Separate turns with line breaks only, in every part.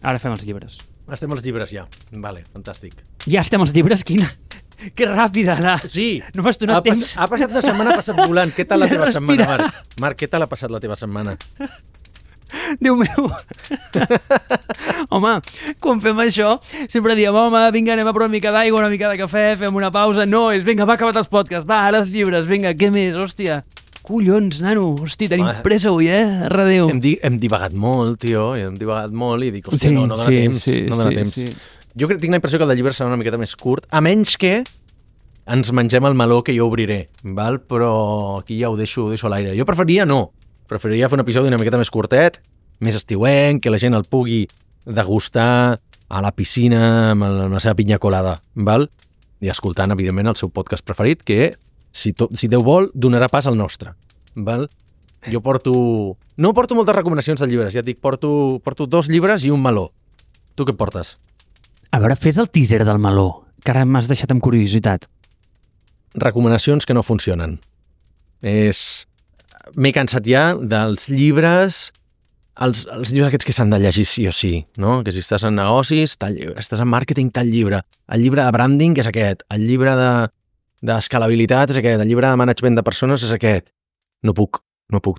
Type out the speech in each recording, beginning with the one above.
Ara fem els llibres.
Estem als llibres ja. Vale, fantàstic.
Ja estem als llibres? Quina... Que ràpida, Anna.
Sí.
No m'has donat temps.
Ha passat una setmana, ha passat volant. Què tal la teva
Respira.
setmana, Marc? Marc, què tal ha passat la teva setmana?
Déu meu. Home, quan fem això, sempre diem, home, vinga, anem a provar una mica d'aigua, una mica de cafè, fem una pausa. No, és vinga, va, acabat els podcasts, va, ara els llibres, vinga, què més, hòstia. Collons, nano, hosti, tenim pressa avui, Redéu.
Hem divagat molt, tio, hem divagat molt i dic, hòstia, no dona temps, no dona temps. Sí. Jo tinc la impressió que el de llibre serà una miqueta més curt, a menys que ens mengem el meló que jo obriré, val? Però aquí ja ho deixo a l'aire. Jo preferiria fer un episodi una miqueta més curtet, més estiuenc, que la gent el pugui degustar a la piscina amb la seva pinya colada, val? I escoltant, evidentment, el seu podcast preferit, que, si Déu vol, donarà pas al nostre, val? Jo no porto moltes recomanacions de llibres, ja et dic, porto 2 llibres i un meló. Tu què portes?
A veure, fes el teaser del meló, que ara m'has deixat amb curiositat.
Recomanacions que no funcionen. M'he cansat ja dels llibres, els llibres aquests que s'han de llegir sí o sí, no? Que si estàs en negocis, tal llibre, estàs en màrqueting, tal llibre, el llibre de branding és aquest, el llibre d'escalabilitat és aquest, el llibre de management de persones és aquest. No puc,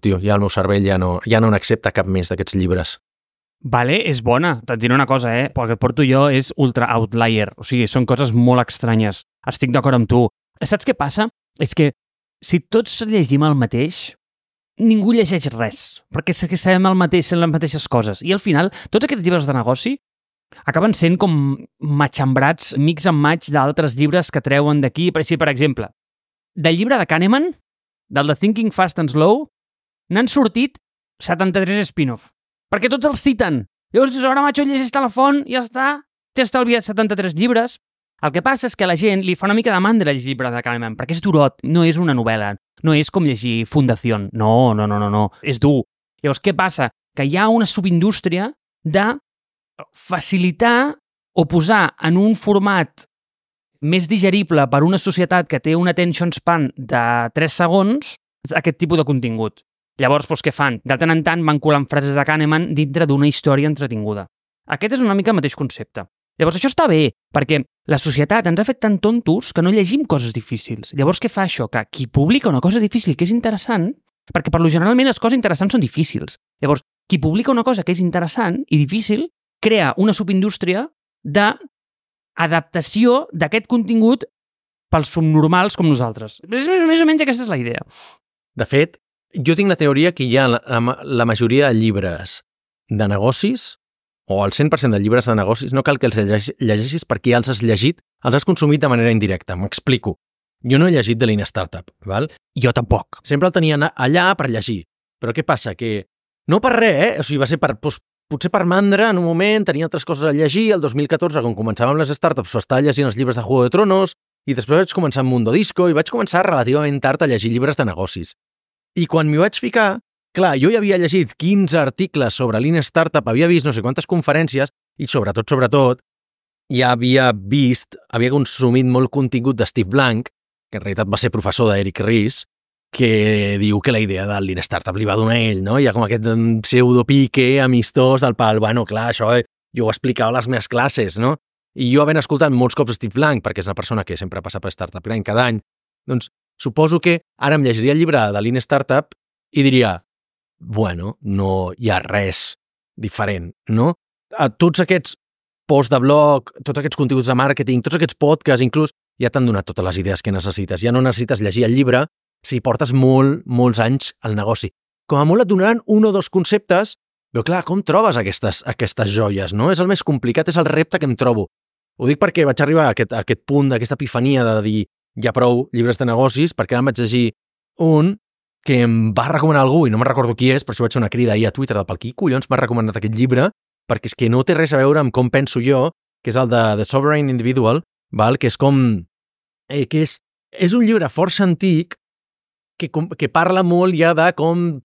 tio, ja el meu cervell ja no n'accepta cap més d'aquests llibres.
Vale, és bona. Et diré una cosa, el que et porto jo és ultra outlier. O sigui, són coses molt estranyes. Estic d'acord amb tu. Saps què passa? És que si tots llegim el mateix, ningú llegeix res. Perquè sabem el mateix, les mateixes coses. I al final, tots aquests llibres de negoci acaben sent com matxembrats, mix and match d'altres llibres que treuen d'aquí. Per exemple, del llibre de Kahneman, del de Thinking Fast and Slow, n'han sortit 73 spin-off. Perquè tots els citen. Llavors dius, ara macho, llegeix la font i ja està. T'he estalviat 73 llibres. El que passa és que a la gent li fa una mica de mandra el llibre de Kahneman, perquè és durot, no és una novel·la, no és com llegir Fundación. No. És dur. Llavors, què passa? Que hi ha una subindústria de facilitar o posar en un format més digerible per una societat que té un attention span de 3 segons aquest tipus de contingut. Llavors, què fan? De tant en tant van colant frases de Kahneman dintre d'una història entretinguda. Aquest és una mica el mateix concepte. Llavors, això està bé, perquè la societat ens ha fet tan tontos que no llegim coses difícils. Llavors, què fa això? Que qui publica una cosa difícil que és interessant, perquè per lo generalment les coses interessants són difícils. Llavors, qui publica una cosa que és interessant i difícil, crea una subindústria d'adaptació d'aquest contingut pels subnormals com nosaltres. Més o menys aquesta és la idea.
De fet, jo tinc la teoria que hi ha la majoria de llibres de negocis, o el 100% de llibres de negocis, no cal que els llegeixis perquè ja els has llegit, els has consumit de manera indirecta. M'explico. Jo no he llegit de Lean Startup, val?
Jo tampoc.
Sempre el tenia allà per llegir. Però què passa? Que no per res, O sigui, va ser potser per mandra en un moment, tenia altres coses a llegir, el 2014, quan començàvem les startups, estava llegint els llibres de Juego de Tronos, i després vaig començar amb Mundo Disco, i vaig començar relativament tard a llegir llibres de negocis. I quan m'hi vaig ficar, clar, jo ja havia llegit 15 articles sobre Lean Startup, havia vist no sé quantes conferències i sobretot, ja havia consumit molt contingut de Steve Blank, que en realitat va ser professor d'Eric Ries, que diu que la idea del Lean Startup li va donar ell, no? Hi ha com aquest pseudopique amistós del pal, bueno, clar, això jo ho explicava a les meves classes, no? I jo havent escoltat molts cops Steve Blank, perquè és una persona que sempre passa per Startup Grind cada any, doncs suposo que ara em llegiria el llibre de Lean Startup i diria, bueno, no hi ha res diferent, no? A tots aquests posts de blog, tots aquests continguts de màrqueting, tots aquests podcasts, inclús, ja t'han donat totes les idees que necessites. Ja no necessites llegir el llibre si portes molts anys al negoci. Com a molt et donaran 1 o 2 conceptes, però clar, com trobes aquestes joies, no? És el més complicat, és el repte que em trobo. Ho dic perquè vaig arribar a aquest punt, d'aquesta epifania de dir ja prou llibres de negocis, perquè ara em vaig llegir un que em va recomanar algú, i no me'n recordo qui és, però això vaig fer una crida ahir a Twitter del qui collons m'ha recomanat aquest llibre, perquè és que no té res a veure amb com penso jo, que és el de The Sovereign Individual, val? Que és com... que és un llibre força antic que parla molt ja de com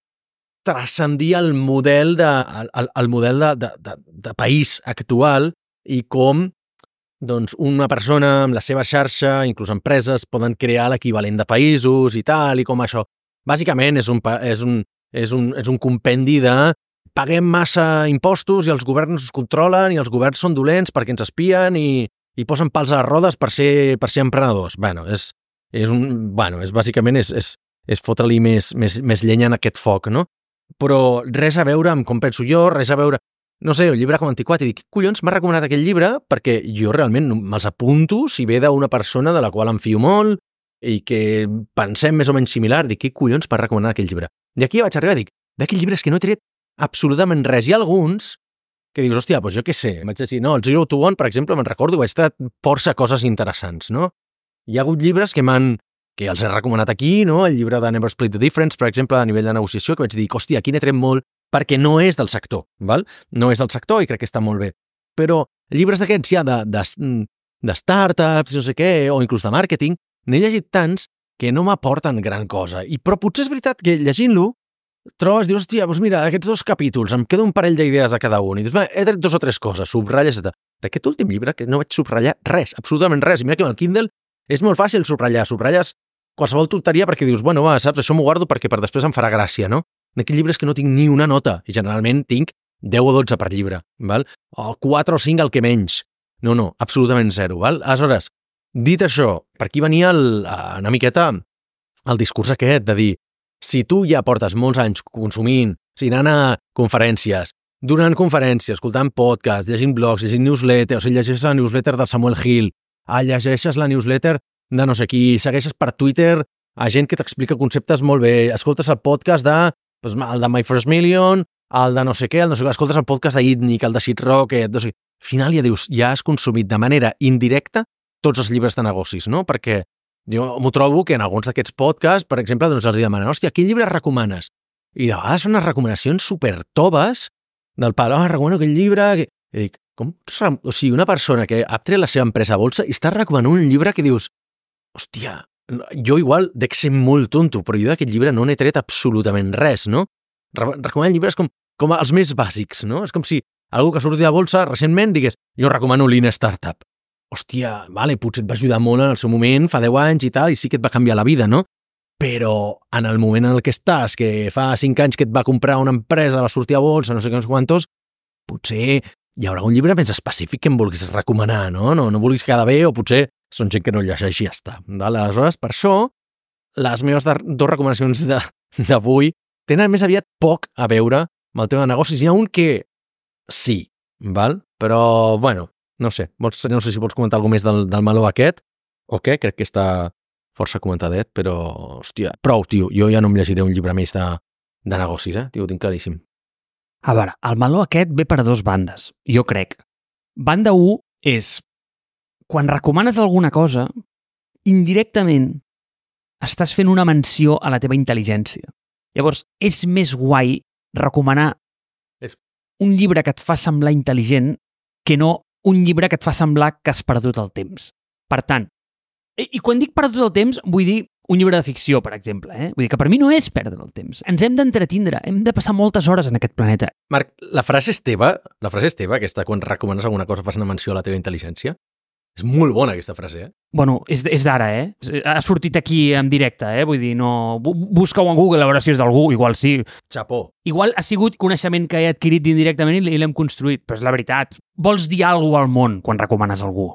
transcendir el model de país actual i com doncs, una persona amb la seva xarxa, inclús empreses, poden crear l'equivalent de països i tal, i com això. Bàsicament és un compendi de paguem massa impostos i els governs ens controlen i els governs són dolents perquè ens espien i posen pals a les rodes per ser emprenedors. Bàsicament és fotre-li més llenya en aquest foc, no? Però res a veure amb com penso jo, res a veure... No sé, un llibre com Antiquat, i dic, collons, m'ha recomanat aquest llibre perquè jo realment me'ls apunto si ve d'una persona de la qual em fio molt i que pensem més o menys similar, dic, qui collons m'ha recomanat aquell llibre? I aquí vaig arribar i dic, d'aquell llibre és que no he tret absolutament res. Hi ha alguns que dius, hòstia, doncs jo què sé, vaig dir, no, el Zero to One, per exemple, me'n recordo, vaig treure força coses interessants, no? Hi ha hagut llibres que els he recomanat aquí, no? El llibre de Never Split the Difference, per exemple, a nivell de negociació, que vaig dir, hòstia, aquí n'he tret molt, perquè no és del sector, val? No és del sector i crec que està molt bé. Però llibres d'aquests ja de startups, no sé què, o inclús de màrqueting, n'he llegit tants que no m'aporten gran cosa. Però potser és veritat que llegint-lo trobes, dius, hòstia, doncs mira, aquests 2 capítols, em queda un parell d'idees de cada un. I dius, he tret 2 o 3 coses, subratlles, etc. D'aquest últim llibre que no vaig subratllar res, absolutament res. I mira que amb el Kindle és molt fàcil subratllar. Subratlles qualsevol tonteria perquè dius, bueno, va, saps, això m'ho guardo perquè per després em farà gràcia, no? D'aquest llibre és que no tinc ni una nota, i generalment tinc 10 o 12 per llibre, val? O 4 o 5 el que menys. No, absolutament zero, val? Aleshores, dit això, per aquí venia una miqueta el discurs aquest de dir, si tu ja portes molts anys consumint, anant a conferències, donant conferències, escoltant podcasts, llegint blogs, llegint newsletters, llegeixes la newsletter de Samuel Hill, llegeixes la newsletter de no sé qui, segueixes per Twitter a gent que t'explica conceptes molt bé, escoltes el podcast el de My First Million, el de no sé què, escoltes el podcast d'Itnik, el de Sid Rocket, no sé. Al final ja dius, ja has consumit de manera indirecta tots els llibres de negocis, no? Perquè jo m'ho trobo que en alguns d'aquests podcasts, per exemple, doncs els demanen, hòstia, quin llibre recomanes? I de vegades fan unes recomanacions supertoves del pal, recomano aquell llibre... I dic, o sigui, una persona que ha tret la seva empresa a bolsa i està recomanant un llibre que dius, hòstia, jo igual dec ser molt tonto, però jo d'aquest llibre no n'he tret absolutament res, no? Recomanen llibres com els més bàsics, no? És com si algú que surti de bolsa recentment digués, jo recomano Lean Startup. Hòstia, vale, potser et va ajudar molt en el seu moment, fa 10 anys i tal, i sí que et va canviar la vida, no? Però en el moment en el que estàs, que fa 5 anys que et va comprar una empresa, va sortir a bolsa, no sé què, no sé quantos, potser hi haurà un llibre més específic que em vulguis recomanar, no? No vulguis quedar bé, o potser són gent que no llegeix i ja està. Aleshores, per això, les meves 2 recomanacions d'avui tenen més aviat poc a veure amb el tema de negocis. Hi ha un que sí, val? Però, bueno, no sé si vols comentar alguna més del meló aquest, o què? Crec que està força comentadet, però, hòstia, prou, tio. Jo ja no em llegiré un llibre més de negocis, tio, ho tinc claríssim.
A veure, el meló aquest ve per 2 bandes, jo crec. Banda 1 és quan recomanes alguna cosa, indirectament estàs fent una menció a la teva intel·ligència. Llavors, és més guai recomanar un llibre que et fa semblar intel·ligent que no un llibre que et fa semblar que has perdut el temps. Per tant, i quan dic perdut el temps, vull dir un llibre de ficció, per exemple. Vull dir que per mi no és perdre el temps. Ens hem d'entretindre, hem de passar moltes hores en aquest planeta.
Marc, la frase és teva, aquesta, quan recomanes alguna cosa fas una menció a la teva intel·ligència? És molt bona, aquesta frase,
Bueno, és d'ara, Ha sortit aquí en directe, Vull dir, no... Busca-ho en Google a veure si és d'algú, igual sí.
Xapó.
Igual ha sigut coneixement que he adquirit indirectament i l'hem construït, però és la veritat. Vols dir alguna cosa al món quan recomanes algú.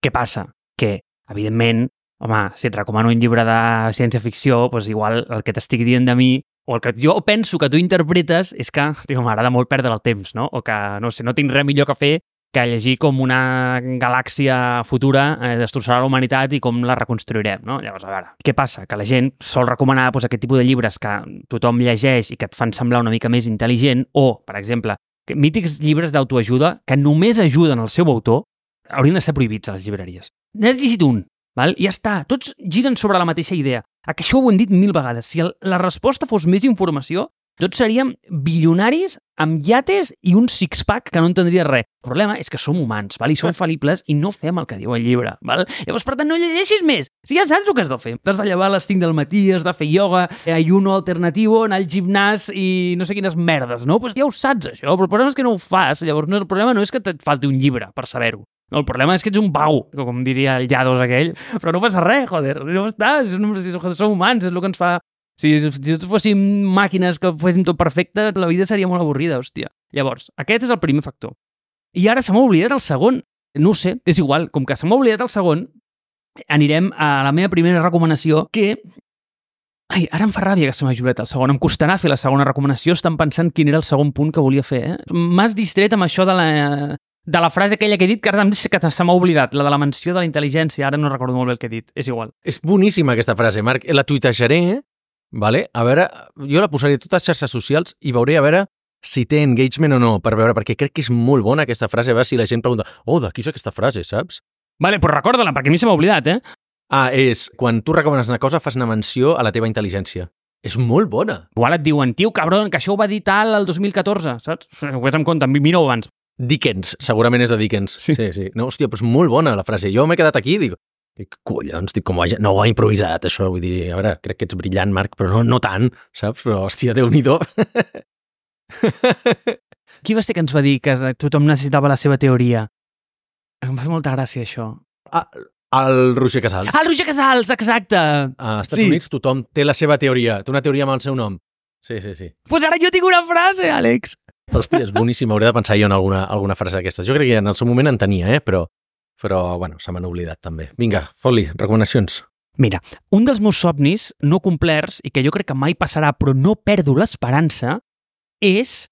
Què passa? Que, evidentment, home, si et recomano un llibre de ciència-ficció, doncs igual el que t'estic dient de mi, o el que jo penso que tu interpretes, és que, m'agrada molt perdre el temps, no? O que, no sé, no tinc res millor que fer que llegir com una galàxia futura destrossarà la humanitat i com la reconstruirem, no? Llavors, a veure, què passa? Que la gent sol recomanar aquest tipus de llibres que tothom llegeix i que et fan semblar una mica més intel·ligent, o, per exemple, mítics llibres d'autoajuda que només ajuden el seu autor, haurien de ser prohibits a les llibreries. N'has llegit un, val? I ja està. Tots giren sobre la mateixa idea. Que això ho hem dit 1000 vegades. Si la resposta fos més informació, tots seríem bilionaris amb iates i un six-pack que no entendria res. El problema és que som humans, val? I som fal·libles i no fem el que diu el llibre. Val? Llavors, per tant, no llegeixis més. Si ja saps el que has de fer. T'has de llevar a les 5 del matí, has de fer ioga, ayuno alternativo, anar al gimnàs i no sé quines merdes, no? Pues ja ho saps, això. Però el problema és que no ho fas. Llavors, el problema no és que et falti un llibre per saber-ho. No, el problema és que ets un pau, com diria el Llados aquell. Però no passa res, joder. No està, som humans, és el que ens fa Si tots fóssim màquines que féssim tot perfecte, la vida seria molt avorrida, hòstia. Llavors, aquest és el primer factor. I ara se m'ha oblidat el segon. No ho sé, és igual. Com que se m'ha oblidat el segon, anirem a la meva primera recomanació, que... Ai, ara em fa ràbia que se m'ha oblidat el segon. Em costarà fer la segona recomanació, estan pensant quin era el segon punt que volia fer. M'has distret amb això de la frase aquella que he dit, que ara se m'ha oblidat, la de la menció de la intel·ligència. Ara no recordo molt bé el que he dit, és igual.
És boníssima aquesta frase, Marc. La tuitejaré, vale? A veure, jo la posaré a totes les xarxes socials i veuré a veure si té engagement o no, per veure, perquè crec que és molt bona aquesta frase, a veure si la gent pregunta de qui és aquesta frase, saps?
Vale, però recorda-la, perquè a mi se m'ha oblidat,
És quan tu recomanes una cosa, fas una menció a la teva intel·ligència. És molt bona.
Igual et diuen, tio, cabron, que això ho va dir tal el 2014, saps? Ho vés en compte, mira-ho abans.
Dickens, segurament és de Dickens. Sí. No, hòstia, però és molt bona la frase. Jo m'he quedat aquí i dic, collons, com no ho ha improvisat, això. Vull dir, a veure, crec que ets brillant, Marc, però no tant, saps? Però, hòstia, Déu-n'hi-do.
Qui va ser que ens va dir que tothom necessitava la seva teoria? Em va fer molta gràcia, això.
El Roger Casals.
El Roger Casals, exacte!
A Estats Units tothom té la seva teoria. Té una teoria amb el seu nom. Sí.
Pues ara jo tinc una frase, Àlex!
Hòstia, és boníssim. Hauré de pensar jo en alguna frase d'aquestes. Jo crec que en el seu moment en tenia, però bueno, se m'han oblidat també. Vinga, fot-li, recomanacions.
Mira, un dels meus somnis no complerts i que jo crec que mai passarà, però no perdo l'esperança, és...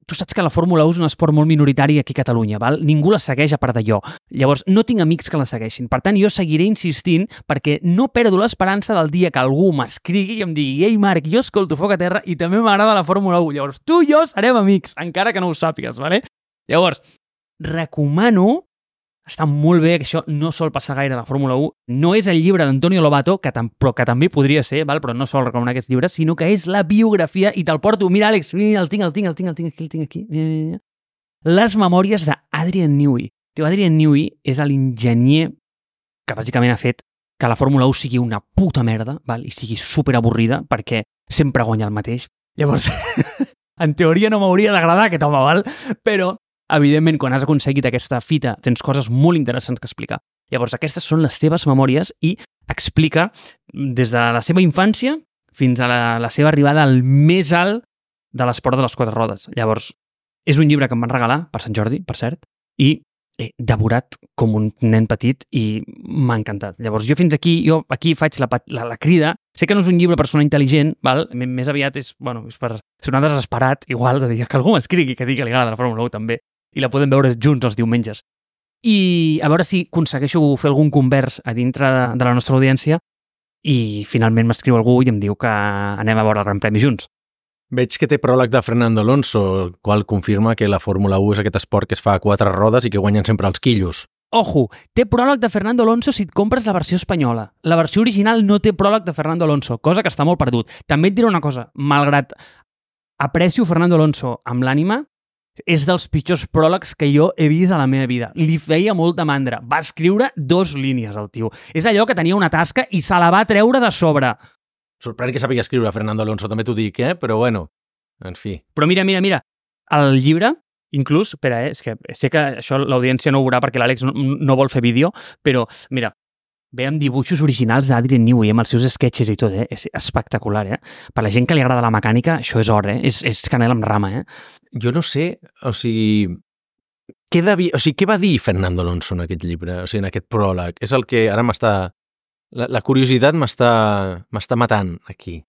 Tu saps que la Fórmula 1 és un esport molt minoritari aquí a Catalunya, val? Ningú la segueix a part d'allò. Llavors, no tinc amics que la segueixin. Per tant, jo seguiré insistint perquè no perdo l'esperança del dia que algú m'escrigui i em digui «Ei, Marc, jo escolto Foc a Terra i també m'agrada la Fórmula 1». Llavors, tu i jo serem amics, encara que no ho sàpigues, vale? Llavors, recomano... Està molt bé, que això no sol passar gaire a la Fórmula 1. No és el llibre d'Antonio Lobato, però que també podria ser, val? Però no sol recomanar aquests llibres, sinó que és la biografia, i te'l porto. Mira, Àlex, el tinc aquí. Mira. Les memòries d'Adrian Newey. Adrian Newey és l'enginyer que bàsicament ha fet que la Fórmula 1 sigui una puta merda, val? I sigui superavorrida, perquè sempre guanya el mateix. Llavors, en teoria no m'hauria d'agradar aquest home, val? Però evidentment, quan has aconseguit aquesta fita, tens coses molt interessants que explicar. Llavors, aquestes són les seves memòries i explica des de la seva infància fins a la seva arribada al més alt de l'esport de les 4 rodes. Llavors, és un llibre que em van regalar per Sant Jordi, per cert, i he devorat com un nen petit i m'ha encantat. Llavors, jo faig la crida. Sé que no és un llibre per sonar intel·ligent, val? Més aviat és per sonar desesperat, igual, de dir que algú m'escrigui que digui que li agrada la Fórmula 1 també. I la podem veure junts els diumenges. I a veure si aconsegueixo fer algun convers a dintre de la nostra audiència i finalment m'escriu algú i em diu que anem a veure el Gran Premi junts.
Veig que té pròleg de Fernando Alonso, el qual confirma que la Fórmula 1 és aquest esport que es fa a 4 rodes i que guanyen sempre els quillos.
Ojo, té pròleg de Fernando Alonso si et compres la versió espanyola. La versió original no té pròleg de Fernando Alonso, cosa que està molt perdut. També et diré una cosa, malgrat aprecio Fernando Alonso amb l'ànima, és dels pitjors pròlegs que jo he vist a la meva vida. Li feia molta mandra. Va escriure 2 línies, el tio. És allò que tenia una tasca i se la va treure de sobre.
Sorprèn que sàpiga escriure Fernando Alonso, també t'ho dic, però bueno, en fi.
Però mira. El llibre, inclús, espera, és que sé que això l'audiència no ho veurà perquè l'Àlex no vol fer vídeo, però mira, ve amb dibuixos originals d'Adrian Newey, amb els seus sketches i tot, és espectacular, Per la gent que li agrada la mecànica, això és or, és canela amb rama,
Jo no sé, què va dir Fernando Alonso en aquest llibre, en aquest pròleg? És el que ara m'està... La curiositat m'està matant aquí.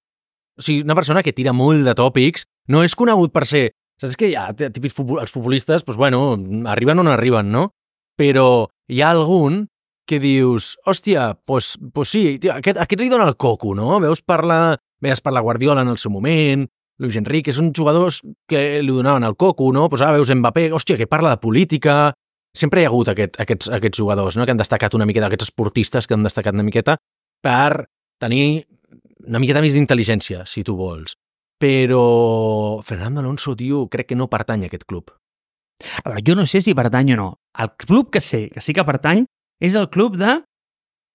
Una persona que tira molt de tòpics, no és conegut per ser... Saps que hi ha típics els futbolistes, arriben on arriben, no? Però hi ha algun que dius, hòstia, pues sí, tio, aquest li dona el coco, no? Veies parlar Guardiola en el seu moment, Luis Enrique, són jugadors que li donaven el coco, no? Ara veus Mbappé, hòstia, que parla de política. Sempre hi ha hagut aquests jugadors, no? Que han destacat una miqueta, aquests esportistes que han destacat una miqueta per tenir una miqueta més d'intel·ligència, si tu vols. Però Fernando Alonso, tio, crec que no pertany a aquest club.
A veure, jo no sé si pertany o no. El club que sé que sí que pertany és el club de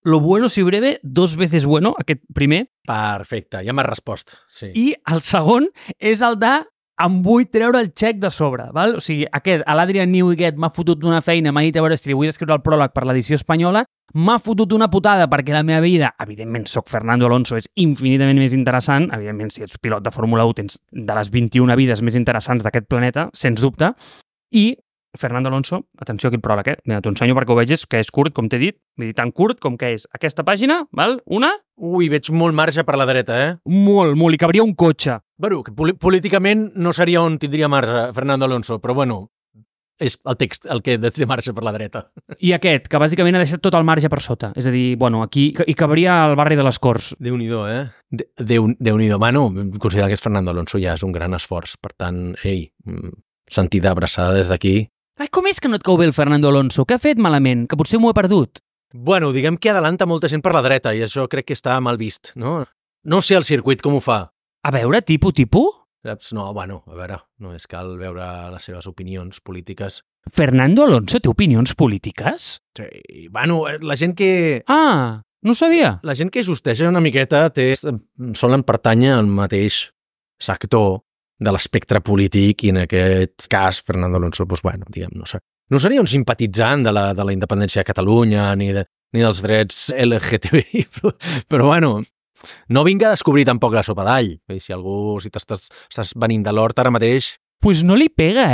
Lo bueno si breve, 2 veces bueno, aquest primer.
Perfecte, ja m'has respost. Sí.
I el segon és el de em vull treure el xec de sobre, val? O sigui, l'Adrian Newighet m'ha fotut una feina, m'ha dit a veure si li vull escriure el pròleg per l'edició espanyola, m'ha fotut una putada perquè la meva vida, evidentment soc Fernando Alonso, és infinitament més interessant, evidentment si ets pilot de Fórmula 1 tens de les 21 vides més interessants d'aquest planeta, sens dubte, i Fernando Alonso, atenció aquí el pròleg, mira, t'ho ensenyo perquè ho vegis, que és curt, com t'he dit, vull dir, tan curt com que és aquesta pàgina, val? Una?
Ui, veig molt marge per la dreta,
Molt, i cabria un cotxe.
Bueno, que políticament no seria on tindria marge Fernando Alonso, però bueno, és el text el que té marge per la dreta.
I aquest, que bàsicament ha deixat tot el marge per sota. És a dir, bueno, aquí hi cabria el barri de les Corts.
Déu-n'hi-do, Déu-n'hi-do. Mano, considerar que és Fernando Alonso ja és un gran esforç. Per tant, sentida abraçada des d'aquí.
Ai, com és que no et cau bé el Fernando Alonso? Què ha fet malament? Que potser m'ho he perdut.
Bueno, diguem que adelanta molta gent per la dreta i això crec que està mal vist, no? No sé el circuit com ho fa.
A veure, tipus?
Saps? No, bueno, a veure, no és cal veure les seves opinions polítiques.
Fernando Alonso té opinions polítiques?
Sí, bueno, la gent que...
Ah, no ho sabia.
La gent que justeja una miqueta solen pertànyer al mateix sector de l'espectre polític i en aquest cas Fernando Alonso, doncs bueno, diguem, no seria un simpatitzant de la independència de Catalunya ni dels drets LGTBI, però bueno, no vinga a descobrir tampoc la sopa d'all. Si t'estàs venint de l'hort ara mateix...
Pues no li pega,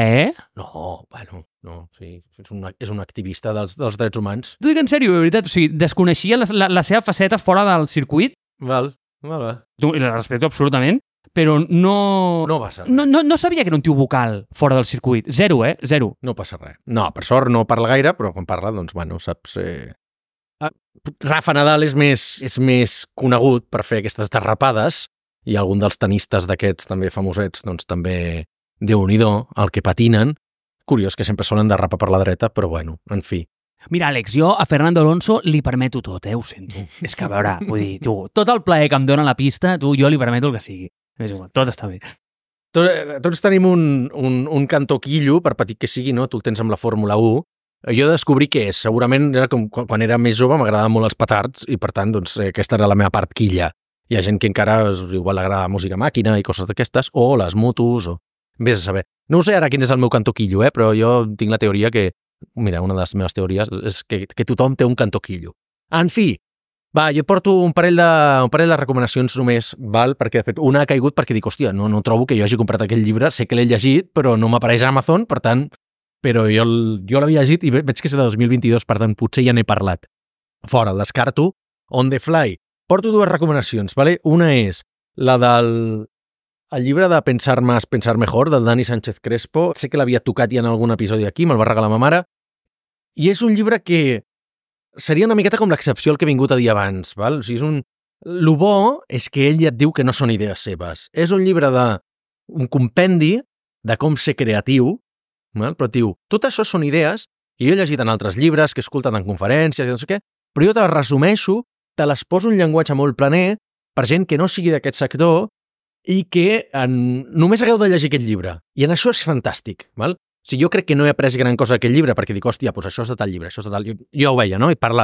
No, bueno, no, sí, és un activista dels drets humans.
T'ho dic en sèrio, de veritat, o sigui, desconeixia la seva faceta fora del circuit.
Val.
I la respecto absolutament, però no
passa res.
No sabia que era un tio vocal fora del circuit. Zero, zero.
No passa res. No, per sort no parla gaire, però quan parla, doncs, bueno, saps... Rafa Nadal és més conegut per fer aquestes derrapades i algun dels tenistes d'aquests també famosets, doncs també Déu-n'hi-do, el que patinen. Curiós que sempre solen derrapar per la dreta, però bueno, en fi.
Mira, Àlex, jo a Fernando Alonso li permeto tot, ho sento. És que, a veure, vull dir, tot el plaer que em dona la pista, jo li permeto el que sigui. És igual, tot està bé.
Tots tenim un cantó quillo, per petit que sigui, no? Tu el tens amb la Fórmula 1. Jo descobrí què és. Segurament era com quan era més jove m'agradaven molt els petards i, per tant, doncs, aquesta era la meva part quilla. Hi ha gent que encara igual agrada música màquina i coses d'aquestes, o les motos, o... Vés a saber. No ho sé ara quin és el meu cantó quillo, però jo tinc la teoria que... Mira, una de les meves teories és que tothom té un cantó quillo. En fi, va, jo porto un parell de recomanacions només, val? Perquè, de fet, una ha caigut perquè dic, hòstia, no trobo que jo hagi comprat aquell llibre, sé que l'he llegit, però no m'apareix a Amazon, per tant, però jo l'havia llegit i veig que és de 2022, per tant, potser ja n'he parlat. Fora, el descarto. On the fly. Porto dues recomanacions, vale? Una és la del llibre de Pensar más, pensar mejor, del Dani Sánchez Crespo. Sé que l'havia tocat ja en algun episodi aquí, me'l va regalar ma mare. I és un llibre que seria una miqueta com l'excepció al que he vingut a dir abans, val? O sigui, lo bo és que ell ja et diu que no són idees seves. És un llibre un compendi de com ser creatiu, val? Però et diu, tot això són idees que jo he llegit en altres llibres, que he escoltat en conferències i no sé què, però jo te les resumeixo, te les poso un llenguatge molt planer per gent que no sigui d'aquest sector i que només hagueu de llegir aquest llibre. I en això és fantàstic, val? O sigui, jo crec que no he après gran cosa d'aquest llibre perquè dic, hòstia, doncs això és de tal llibre, això és de tal... Jo ho veia, no? I parla,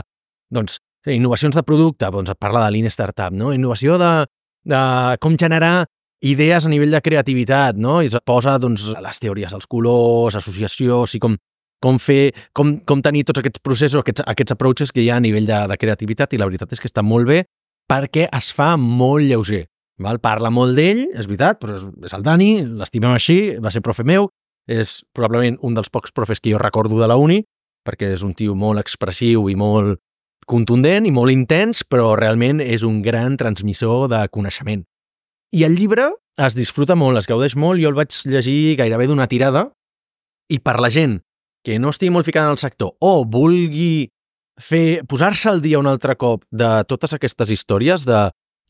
doncs, innovacions de producte, doncs parla de Lean Startup, no? Innovació de com generar idees a nivell de creativitat, no? I es posa, doncs, les teories dels colors, associació, o sigui, com tenir tots aquests processos, aquests approaches que hi ha a nivell de creativitat, i la veritat és que està molt bé perquè es fa molt lleuger. Val? Parla molt d'ell, és veritat, però és el Dani, l'estimem així, va ser profe meu, és probablement un dels pocs profes que jo recordo de la uni, perquè és un tio molt expressiu i molt contundent i molt intens, però realment és un gran transmissor de coneixement. I el llibre es disfruta molt, es gaudeix molt, jo el vaig llegir gairebé d'una tirada, i per la gent que no estigui molt ficada en el sector o vulgui posar-se al dia un altre cop de totes aquestes històries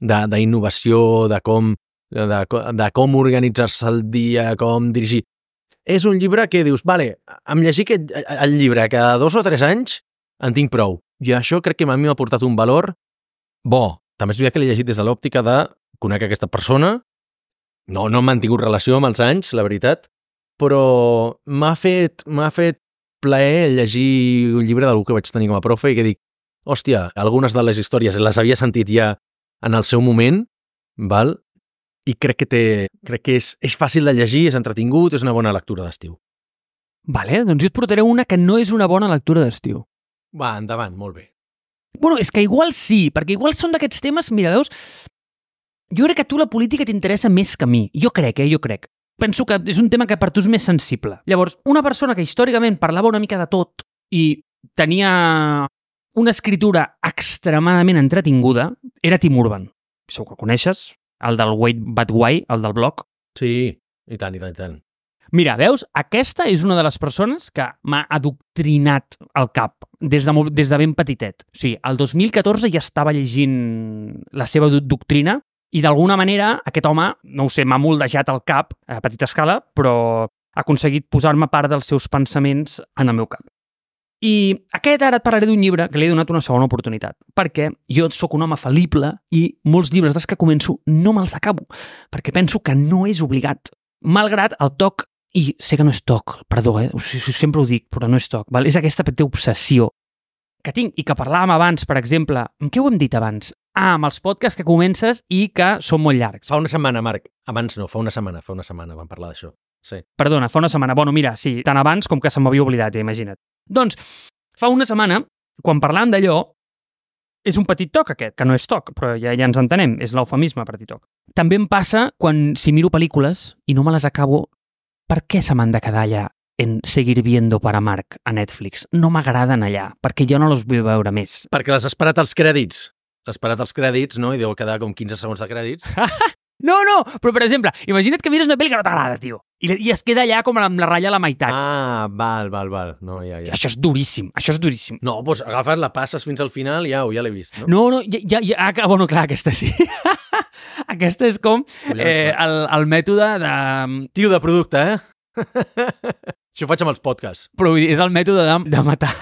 d'innovació, de com organitzar-se el dia, com dirigir. És un llibre que dius, vale, em llegir el llibre cada 2 o 3 anys en tinc prou. I això crec que a mi m'ha portat un valor bo. També és veritat que l'he llegit des de l'òptica de conèixer aquesta persona. No hem mantingut relació amb els anys, la veritat, però m'ha fet plaer llegir un llibre d'algú que vaig tenir com a profe i que dic, hòstia, algunes de les històries les havia sentit ja en el seu moment, val? i crec que és fàcil de llegir, és entretingut, és una bona lectura d'estiu.
Vale, doncs jo et portaré una que no és una bona lectura d'estiu.
Va, endavant, molt bé.
Bueno, és que igual sí, perquè igual són d'aquests temes, mira, veus, jo crec que a tu la política t'interessa més que a mi. Jo crec. Penso que és un tema que per tu és més sensible. Llavors, una persona que històricament parlava una mica de tot i tenia una escritura extremadament entretinguda era Tim Urban. Segur que el coneixes, el del Wait But Why, el del blog.
Sí, i tant.
Mira, veus? Aquesta és una de les persones que m'ha adoctrinat al cap des de ben petitet. O sigui, el 2014 ja estava llegint la seva doctrina i d'alguna manera aquest home, no ho sé, m'ha moldejat el cap a petita escala, però ha aconseguit posar-me part dels seus pensaments en el meu cap. I ara et parlaré d'un llibre que li he donat una segona oportunitat, perquè jo sóc un home fal·lible i molts llibres des que començo no me'ls acabo, perquè penso que no és obligat. Malgrat el toc, i sé que no és toc, perdó, sempre ho dic, però no és toc, val? És aquesta petita obsessió que tinc i que parlàvem abans, per exemple, amb què ho hem dit abans? Amb els podcasts que comences i que són molt llargs.
Fa una setmana, Marc. Abans no, fa una setmana vam parlar d'això. Sí.
Perdona, fa una setmana. Bueno, mira, sí, tant abans com que se m'havia oblidat, imagina't. Doncs, fa una setmana, quan parlàvem d'allò, és un petit toc aquest, que no és toc, però ja ens entenem, és l'eufemisme petit toc. També em passa si miro pel·lícules i no me les acabo, per què se m'han de quedar allà en Seguir Viendo para Marc a Netflix? No m'agraden allà, perquè jo no les vull veure més.
Perquè l'has esperat als crèdits. L'has esperat als crèdits, no? I deu quedar com 15 segons de crèdits.
No, però per exemple, imagina't que mires una pel·li que no t'agrada, tio, i es queda allà com amb la ratlla a la meitat.
Ah, val. No, ja.
Això és duríssim.
No, doncs agafes, la passes fins al final i ja l'he vist, no?
No, bueno, clar, aquesta sí. Aquesta és com el mètode de...
Tio de producte, Això ho faig amb els podcasts.
Però és el mètode de matar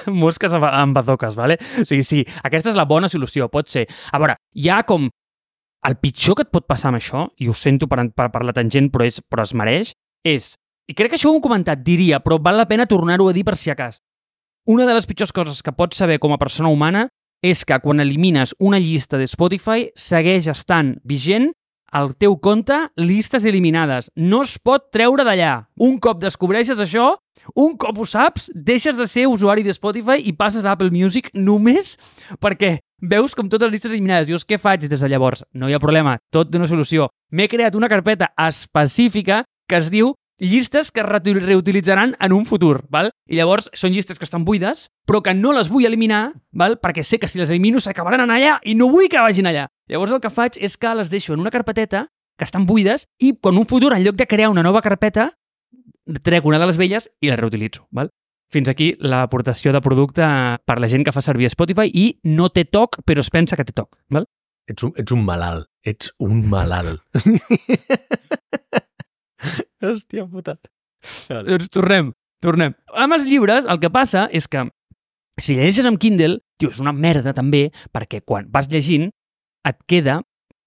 mosques amb bazoques, vale? O sigui, sí, aquesta és la bona solució, pot ser. A veure, hi ha com... El pitjor que et pot passar amb això, i ho sento per la tangent, però es mereix, és... I crec que això ho hem comentat, diria, però val la pena tornar-ho a dir per si acas. Una de les pitjors coses que pots saber com a persona humana és que quan elimines una llista de Spotify segueix estant vigent al teu compte llistes eliminades. No es pot treure d'allà. Un cop descobreixes això, un cop ho saps, deixes de ser usuari de Spotify i passes a Apple Music només perquè veus com totes les llistes eliminades. Dius, què faig des de llavors? No hi ha problema, tot d'una solució. M'he creat una carpeta específica que es diu llistes que es reutilitzaran en un futur, val? I llavors són llistes que estan buides, però que no les vull eliminar, val? Perquè sé que si les elimino s'acabaran allà i no vull que vagin allà. Llavors el que faig és que les deixo en una carpeteta que estan buides i en un futur, en lloc de crear una nova carpeta, trec una de les velles i la reutilitzo, val? Fins aquí l'aportació de producte per la gent que fa servir Spotify i no té toc, però es pensa que té toc, val?
Ets un malalt.
Hòstia puta. Doncs tornem. Amb els llibres el que passa és que si llegeixes amb Kindle, tio, és una merda també, perquè quan vas llegint et queda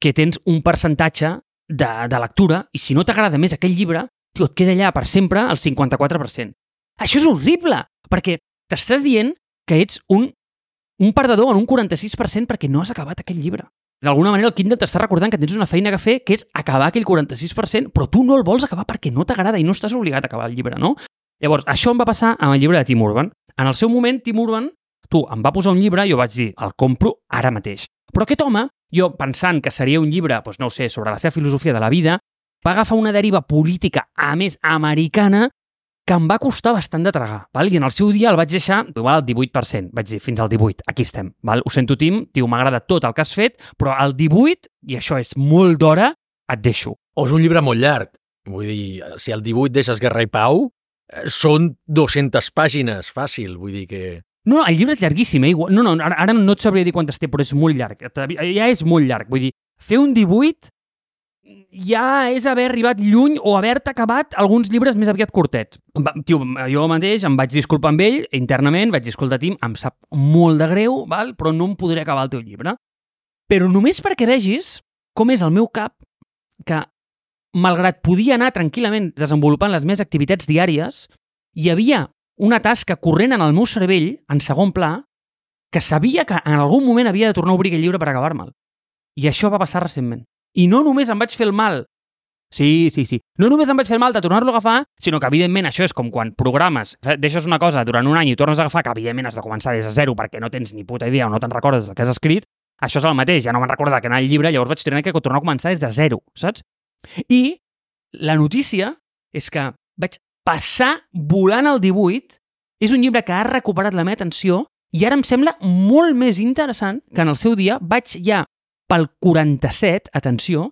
que tens un percentatge de lectura i si no t'agrada més aquell llibre, tio, et queda allà per sempre el 54%. Això és horrible, perquè t'estàs dient que ets un perdedor en un 46% perquè no has acabat aquell llibre. D'alguna manera el Kindle t'està recordant que tens una feina que fer, que és acabar aquell 46%, però tu no el vols acabar perquè no t'agrada i no estàs obligat a acabar el llibre, no? Llavors, això em va passar amb el llibre de Tim Urban. En el seu moment, Tim Urban, em va posar un llibre i jo vaig dir, el compro ara mateix. Però aquest home, jo pensant que seria un llibre, doncs no ho sé, sobre la seva filosofia de la vida, va agafar una deriva política, a més americana, que em va costar bastant de tragar, val? I en el seu dia el vaig deixar igual al 18%, vaig dir, fins al 18%, aquí estem, val? Ho sento, Tim, tio, m'agrada tot el que has fet, però al 18%, i això és molt d'hora, et deixo.
O és un llibre molt llarg, vull dir, si al 18 deixes Guerra i Pau, són 200 pàgines, fàcil, vull dir que...
No, el llibre és llarguíssim, No, ara no et sabria dir quantes té, però és molt llarg, ja és molt llarg, vull dir, fer un 18 ja és haver arribat lluny o haver-te acabat alguns llibres més aviat curtets. Tio, jo mateix em vaig disculpar amb ell internament, vaig dir, escolta, Tim, em sap molt de greu, val? Però no em podré acabar el teu llibre. Però només perquè vegis com és el meu cap que, malgrat podia anar tranquil·lament desenvolupant les meves activitats diàries, hi havia una tasca corrent en el meu cervell, en segon pla, que sabia que en algun moment havia de tornar a obrir aquell llibre per acabar-me'l. I això va passar recentment. I no només em vaig fer el mal. Sí. No només em vaig fer el mal de tornar-lo a agafar, sinó que, evidentment, això és com quan programes, deixes una cosa durant un any i tornes a agafar, que, evidentment, has de començar des de zero perquè no tens ni puta idea o no te'n recordes del que has escrit. Això és el mateix, ja no me'n recordo que anar al llibre, llavors vaig tenir que tornar a començar des de zero, saps? I la notícia és que vaig passar volant el 18, és un llibre que ha recuperat la meva atenció i ara em sembla molt més interessant que en el seu dia vaig ja pel 47, atenció,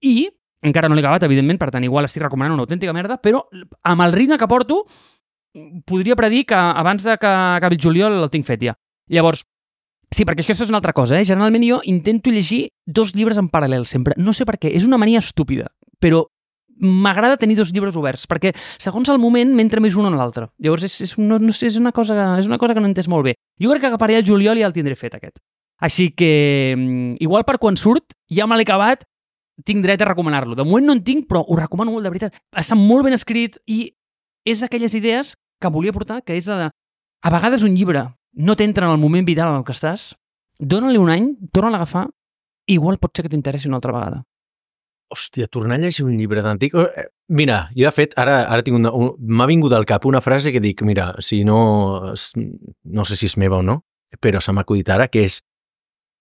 i encara no l'he acabat, evidentment, per tant, igual estic recomanant una autèntica merda, però amb el ritme que porto podria predir que abans de que acabi el juliol el tinc fet ja. Llavors, sí, perquè aquesta és una altra cosa, Generalment jo intento llegir 2 llibres en paral·lel sempre. No sé per què, és una mania estúpida, però m'agrada tenir 2 llibres oberts, perquè segons el moment m'entra més un en l'altre. Llavors, no sé, és una cosa que no he entès molt bé. Jo crec que acabaré el juliol i ja el tindré fet, aquest. Així que, igual per quan surt, ja me l'he acabat, tinc dret a recomanar-lo. De moment no en tinc, però ho recomano molt, de veritat. Està molt ben escrit i és d'aquelles idees que volia portar, que és la de... A vegades un llibre no t'entra en el moment vital en el que estàs, dóna-li un any, torna-la a agafar, igual pot ser que t'interessi una altra vegada.
Hòstia, tornar a llegir un llibre d'antic... Mira, jo de fet, ara tinc m'ha vingut al cap una frase que dic, mira, si no... No sé si és meva o no, però se m'ha acudit ara, que és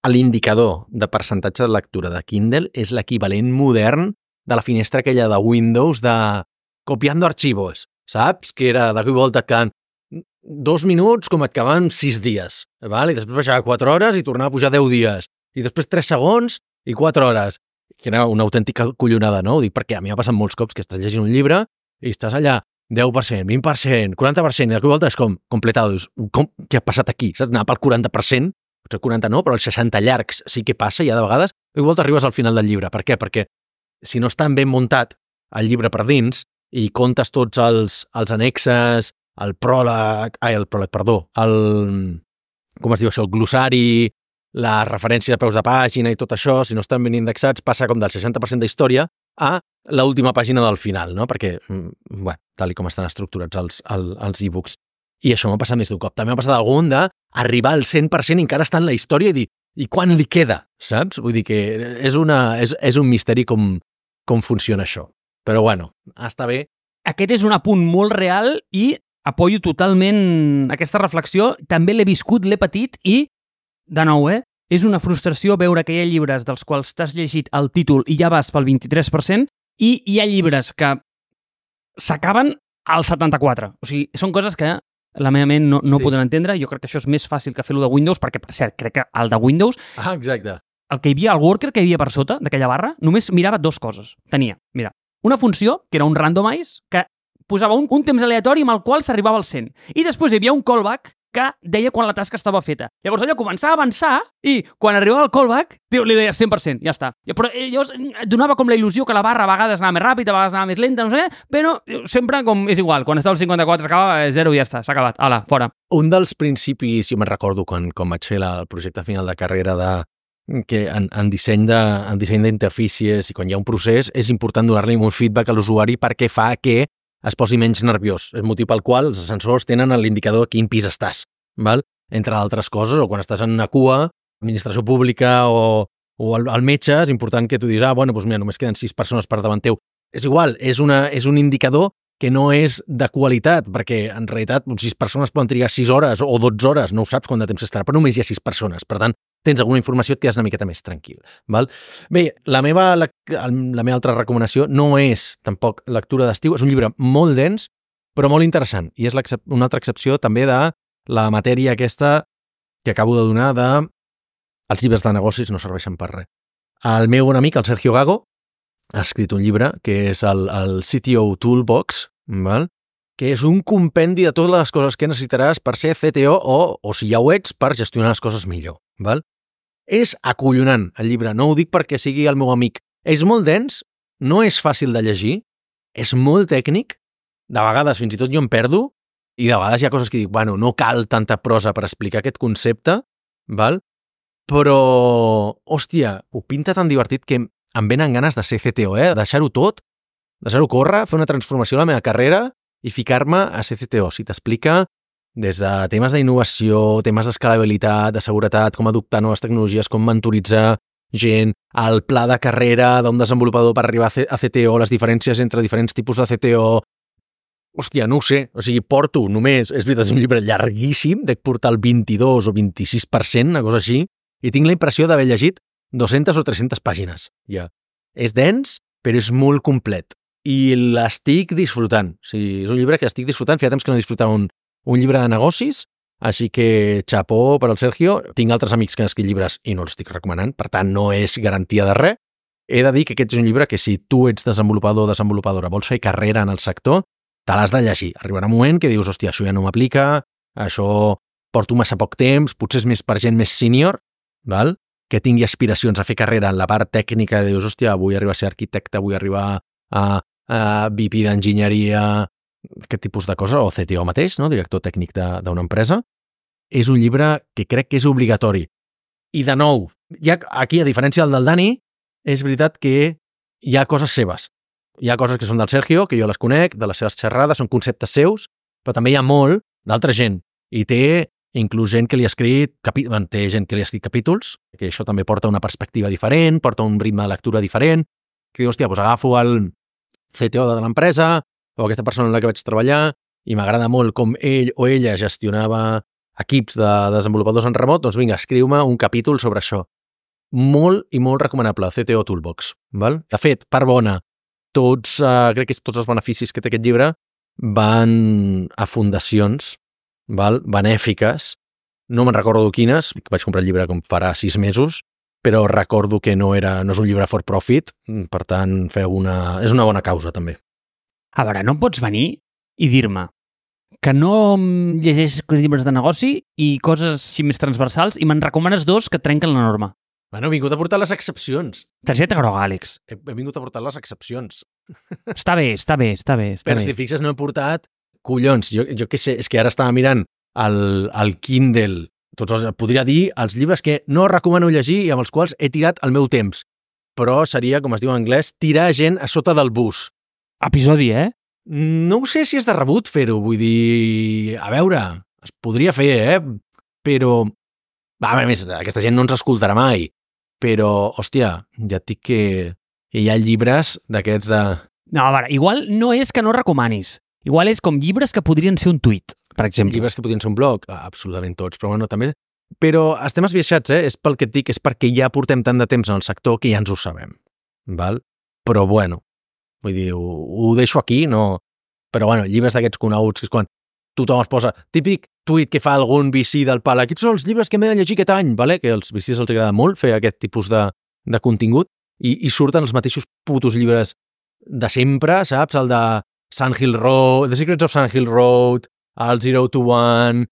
l'indicador de percentatge de lectura de Kindle és l'equivalent modern de la finestra aquella de Windows de copiando archivos, saps? Que era de cop i volta que en 2 minuts com et caben 6 dies, val? I després baixava 4 hores i tornava a pujar 10 dies. I després 3 segons i 4 hores. Que era una autèntica collonada, no? Ho dic perquè a mi m'ha passat molts cops que estàs llegint un llibre i estàs allà 10%, 20%, 40%, i de cop i volta és com completado. Dius, què ha passat aquí? Saps? Anar pel 40%, potser 40 no, però els 60 llargs sí que passa ja de vegades, i de volta arribes al final del llibre. Per què? Perquè si no està ben muntat el llibre per dins i comptes tots els annexes, el pròleg, com es diu això, el glossari, la referència de peus de pàgina i tot això, si no estan ben indexats, passa com del 60% d'història a l'última pàgina del final, no? Perquè, bueno, tal com estan estructurats els e-books. I això m'ha passat més d'un cop. També m'ha passat algun d'arribar al 100% i encara està en la història i dir, i quan li queda, saps? Vull dir que és un misteri com funciona això. Però bueno, està bé.
Aquest és un apunt molt real i apoyo totalment aquesta reflexió. També l'he viscut, l'he patit i de nou, és una frustració veure que hi ha llibres dels quals t'has llegit el títol i ja vas pel 23% i hi ha llibres que s'acaben al 74%. O sigui, són coses que la meva ment no poden entendre. Jo crec que això és més fàcil que fer-ho de Windows perquè, per cert, crec que el de Windows...
Ah, exacte.
El que hi havia, el worker que hi havia per sota d'aquella barra, només mirava 2 coses. Tenia, mira, una funció, que era un randomize, que posava un temps aleatori amb el qual s'arribava al 100. I després hi havia un callback que deia quan la tasca estava feta. Llavors allò començava a avançar i quan arribava el callback li deia 100%, ja està. Però llavors donava com la il·lusió que la barra a vegades anava més ràpida, a vegades anava més lenta, no sé, però sempre com és igual, quan estava al 54 acabava 0 i ja està, s'ha acabat, ala, fora.
Un dels principis, jo me'n recordo quan vaig fer el projecte final de carrera que en disseny d'interfícies i quan hi ha un procés és important donar-li un feedback a l'usuari perquè fa que es posi menys nerviós. És el motiu pel qual els ascensors tenen l'indicador a quin pis estàs, val? Entre altres coses, o quan estàs en una cua, administració pública o al metge, és important que tu diguis, bueno, doncs mira, només queden 6 persones per davant teu. És igual, és un indicador que no és de qualitat, perquè en realitat 6 persones poden trigar 6 hores o 12 hores, no ho saps quant de temps estarà, però només hi ha 6 persones. Per tant, tens alguna informació, et quedes una miqueta més tranquil. Val? Bé, la meva altra recomanació no és tampoc lectura d'estiu, és un llibre molt dens, però molt interessant, i és una altra excepció també de la matèria aquesta que acabo de donar de els llibres de negocis no serveixen per res. El meu bon amic, el Sergio Gago, ha escrit un llibre que és el CTO Toolbox, val? Que és un compendi de totes les coses que necessitaràs per ser CTO o si ja ho ets, per gestionar les coses millor. Val? És acollonant el llibre, no ho dic perquè sigui el meu amic. És molt dens, no és fàcil de llegir, és molt tècnic, de vegades fins i tot jo em perdo, i de vegades hi ha coses que dic, bueno, no cal tanta prosa per explicar aquest concepte, val? Però, hòstia, ho pinta tan divertit que em venen ganes de ser CTO, deixar-ho tot, deixar-ho córrer, fer una transformació a la meva carrera i ficar-me a ser CTO. Si t'explica des de temes d'innovació, temes d'escalabilitat, de seguretat, com adoptar noves tecnologies, com mentoritzar, gent, el pla de carrera d'un desenvolupador per arribar a CTO, les diferències entre diferents tipus de CTO. Hòstia, no ho sé. O sigui, porto només... És veritat, és un llibre llarguíssim, dec portar el 22 o 26%, una cosa així, i tinc la impressió d'haver llegit 200 o 300 pàgines. Ja. És dens, però és molt complet. I l'estic disfrutant. O sigui, és un llibre que estic disfrutant. Feia temps que no disfrutava un llibre de negocis, així que xapó per al Sergio. Tinc altres amics que han escrit llibres i no els estic recomanant, per tant no és garantia de res. He de dir que aquest és un llibre que si tu ets desenvolupador o desenvolupadora, vols fer carrera en el sector, te l'has de llegir. Arribarà un moment que dius, hòstia, això ja no m'aplica, això porto massa poc temps, potser és més per gent més senior, val? Que tingui aspiracions a fer carrera en la part tècnica, dius, hòstia, vull arribar a ser arquitecte, vull arribar a VP d'enginyeria, aquest tipus de cosa, o CTO mateix, no? Director tècnic d'una empresa. És un llibre que crec que és obligatori. I de nou, ja aquí, a diferència del Dani, és veritat que hi ha coses seves. Hi ha coses que són del Sergio, que jo les conec, de les seves xerrades, són conceptes seus, però també hi ha molt d'altra gent. I té inclús gent que li ha escrit capítols, que això també porta una perspectiva diferent, porta un ritme de lectura diferent, que diu, hòstia, doncs agafo el CTO de l'empresa o aquesta persona en la que vaig treballar i m'agrada molt com ell o ella gestionava equips de desenvolupadors en remot, doncs vinga, escriu-me un capítol sobre això. Molt i molt recomanable, CTO Toolbox. Val? De fet, part bona, crec que tots els beneficis que té aquest llibre van a fundacions benèfiques. No me'n recordo quines, vaig comprar el llibre com farà 6 mesos, però recordo que no és un llibre for profit, per tant, és una bona causa, també.
A veure, no em pots venir i dir-me que no llegeixes llibres de negoci i coses així més transversals i me'n recomanes 2 que trenquen la norma.
Bueno, he vingut a portar les excepcions.
Targeta groga, Àlex.
He vingut a portar les excepcions.
Està bé.
Però si fixes, no he portat... Collons, jo què sé, és que ara estava mirant el Kindle, podria dir els llibres que no recomano llegir i amb els quals he tirat el meu temps. Però seria, com es diu en anglès, tirar gent a sota del bus.
Episodi,
No sé si és de rebut fer-ho, vull dir... A veure, es podria fer, Però... A més, aquesta gent no ens escoltarà mai. Però, hòstia, ja et dic que hi ha llibres d'aquests de...
No, a veure, igual no és que no recomanis. Igual és com llibres que podrien ser un tuit, per exemple.
Llibres que podrien ser un blog, absolutament tots, però bueno, també... Però estem esbiaixats, és pel que et dic, és perquè ja portem tant de temps en el sector que ja ens ho sabem, val? Però bueno, vull dir, ho deixo aquí, no... Però bueno, llibres d'aquests coneguts, que és quan tothom es posa... Típic tuit que fa algun VC del pal, aquests són els llibres que m'he de llegir aquest any, vale? Que als VCs els agrada molt fer aquest tipus de contingut i surten els mateixos putos llibres de sempre, saps? El de Sandhill Road, The Secrets of Sandhill Road, el 0 to 1,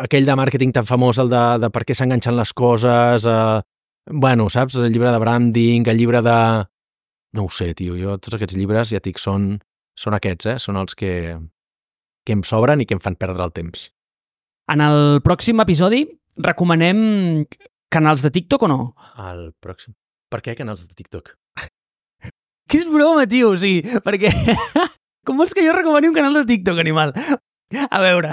aquell de màrqueting tan famós, el de per què s'enganxen les coses, bueno, saps? El llibre de branding, el llibre de... No ho sé, tio, jo tots aquests llibres, ja et dic, són aquests, són els que em sobren i que em fan perdre el temps.
En el pròxim episodi recomanem canals de TikTok o no?
El pròxim? Per què canals de TikTok?
Que és broma, tio, o sigui, perquè... Com vols que jo recomani un canal de TikTok, animal? A veure,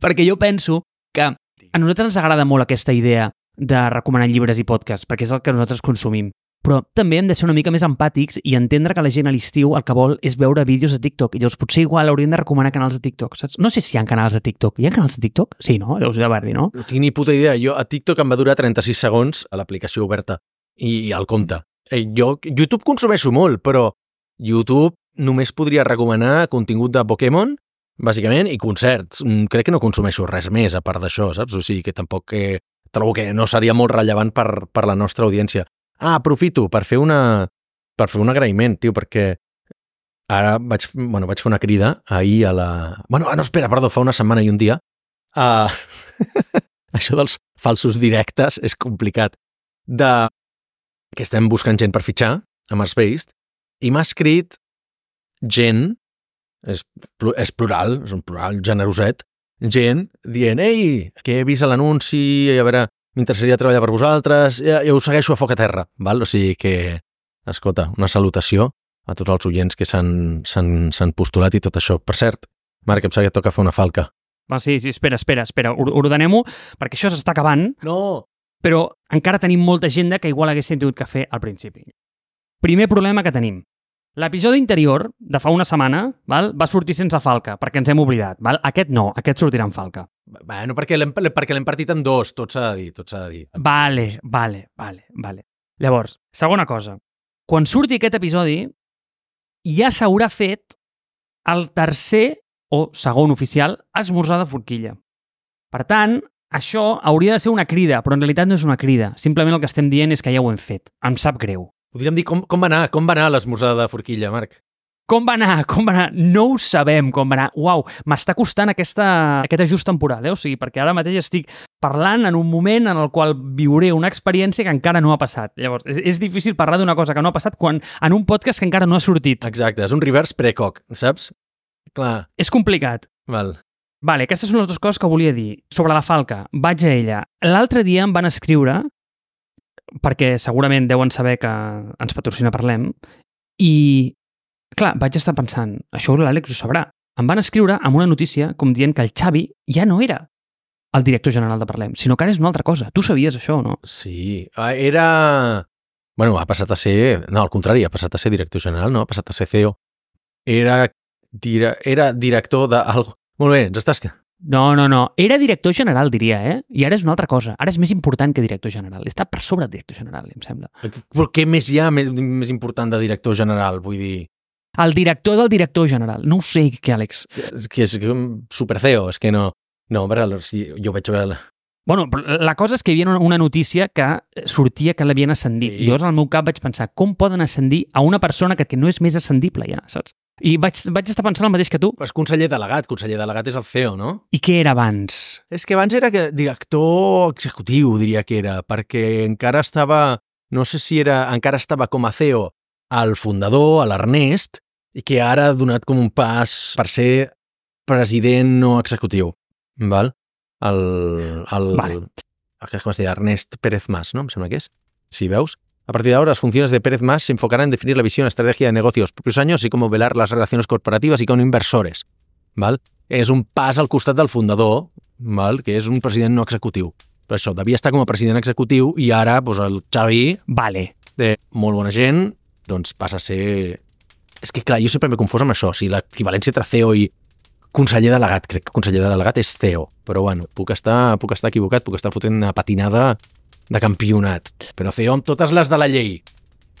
perquè jo penso que a nosaltres ens agrada molt aquesta idea de recomanar llibres i podcasts, perquè és el que nosaltres consumim. Però també hem de ser una mica més empàtics i entendre que la gent a l'estiu el que vol és veure vídeos de TikTok. I llavors potser igual hauríem de recomanar canals de TikTok, saps? No sé si hi ha canals de TikTok. Hi ha canals de TikTok? Sí, no? Deus haver-hi, no?
No tinc ni puta idea. Jo a TikTok em va durar 36 segons a l'aplicació oberta i al compte. Jo YouTube consumeixo molt, però YouTube només podria recomanar contingut de Pokémon, bàsicament, i concerts. Crec que no consumeixo res més a part d'això, saps? O sigui que tampoc trobo que no seria molt rellevant per la nostra audiència. Aprofito per fer un agraïment, tio, perquè ara vaig fer una crida ahir a la... fa una setmana i un dia. Això dels falsos directes és complicat. Que estem buscant gent per fitxar a Marsbased i m'ha escrit gent, és plural, és un plural generoset, gent dient, ei, que he vist l'anunci, a veure, m'interessaria treballar per vosaltres, ja ho segueixo a foc a terra, val? O sigui que, escolta, una salutació a tots els oients que s'han postulat i tot això. Per cert, Marc, em sembla que et toca fer una falca.
Sí, espera, ordenem-ho, perquè això s'està acabant.
No,
però encara tenim molta agenda que igual haguéssim tingut que fer al principi. Primer problema que tenim. L'episodi anterior, de fa una setmana, va sortir sense falca, perquè ens hem oblidat. Aquest no, aquest sortirà amb falca.
Bueno, perquè l'hem partit en dos, tot s'ha de dir.
Vale. Llavors, segona cosa. Quan surti aquest episodi, ja s'haurà fet el tercer o segon oficial esmorzar de forquilla. Per tant, això hauria de ser una crida, però en realitat no és una crida. Simplement el que estem dient és que ja ho hem fet. Em sap greu.
Podríem dir com va anar l'esmorzar de forquilla, Marc?
Com va anar? No ho sabem com va anar. Uau, m'està costant aquest ajust temporal, O sigui, perquè ara mateix estic parlant en un moment en el qual viuré una experiència que encara no ha passat. Llavors, és difícil parlar d'una cosa que no ha passat en un podcast que encara no ha sortit.
Exacte, és un reverse precoc, saps? Clar.
És complicat. Vale, aquestes són les dues coses que volia dir. Sobre la falca, vaig a ella. L'altre dia em van escriure, perquè segurament deuen saber que ens patrocina Parlem, i clar, vaig estar pensant, això l'Àlex ho sabrà. Em van escriure amb una notícia com dient que el Xavi ja no era el director general de Parlem, sinó que ara és una altra cosa. Tu sabies això, no?
Sí, era... Bueno, ha passat a ser... No, al contrari, ha passat a ser director general, no? Ha passat a ser CEO. Era director d'algo... Molt bé, ens estàs...
No. Era director general, diria, I ara és una altra cosa. Ara és més important que director general. Està per sobre del director general, em sembla.
Però què més hi ha més important de director general? Vull dir...
El director del director general. No ho sé, què, Àlex?
És super CEO, és que no... No, però si jo vaig veure...
Bueno, la cosa és que hi havia una notícia que sortia que l'havien ascendit. I llavors al meu cap vaig pensar, com poden ascendir a una persona que no és més ascendible ja, saps? I vaig estar pensant el mateix que tu.
És conseller delegat és el CEO, no?
I què era abans?
És que abans era director executiu, diria que era, perquè encara estava, no sé si era, encara estava com a CEO al fundador, a l'Ernest, i que ara ha donat com un pas per ser president no executiu, val?
Vale.
Com es deia? Ernest Pérez Mas, ¿no? Em sembla que és. Si veus. A partir de ahora, las funciones de Pérez Mas se enfocarán en definir la visión, estrategia de negocio de los propios años, así como velar las relaciones corporativas y con inversores. ¿Val? És un pas al costat del fundador, ¿val? Que és un president no executiu. Però això, devia estar com a president executiu i ara doncs, el Xavi, de molt bona gent, doncs passa a ser... És que clar, jo sempre m'he confós amb això, o sigui, l'equivalència entre CEO i conseller delegat. Crec que conseller delegat és CEO, però bueno, puc estar equivocat, puc estar fotent una patinada de campionat, però CEO amb totes les de la llei.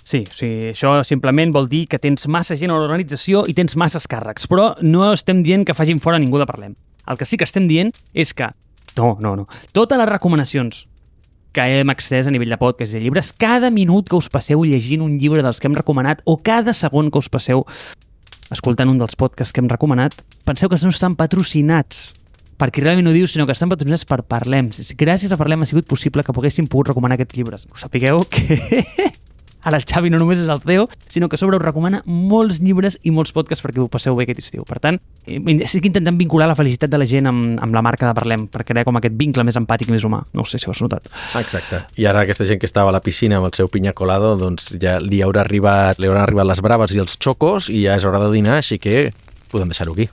Sí, això simplement vol dir que tens massa gent a l'organització i tens masses càrrecs, però no estem dient que facin fora ningú de Parlem. El que sí que estem dient és que, no, totes les recomanacions que hem extès a nivell de podcast i de llibres, cada minut que us passeu llegint un llibre dels que hem recomanat o cada segon que us passeu escoltant un dels podcasts que hem recomanat, penseu que no estan patrocinats perquè realment ho dius, sinó que estan patrocinats per Parlem. Gràcies a Parlem ha sigut possible que poguéssim pogut recomanar aquests llibres. Us sapigueu que ara el Xavi no només és el CEO, sinó que a sobre us recomana molts llibres i molts podcasts perquè ho passeu bé aquest estiu. Per tant, estic intentant vincular la felicitat de la gent amb la marca de Parlem per crear com aquest vincle més empàtic i més humà. No sé si ho has notat.
Exacte. I ara aquesta gent que estava a la piscina amb el seu piña colado, doncs ja li hauran arribat les braves i els xocos i ja és hora de dinar, així que podem deixar-ho aquí.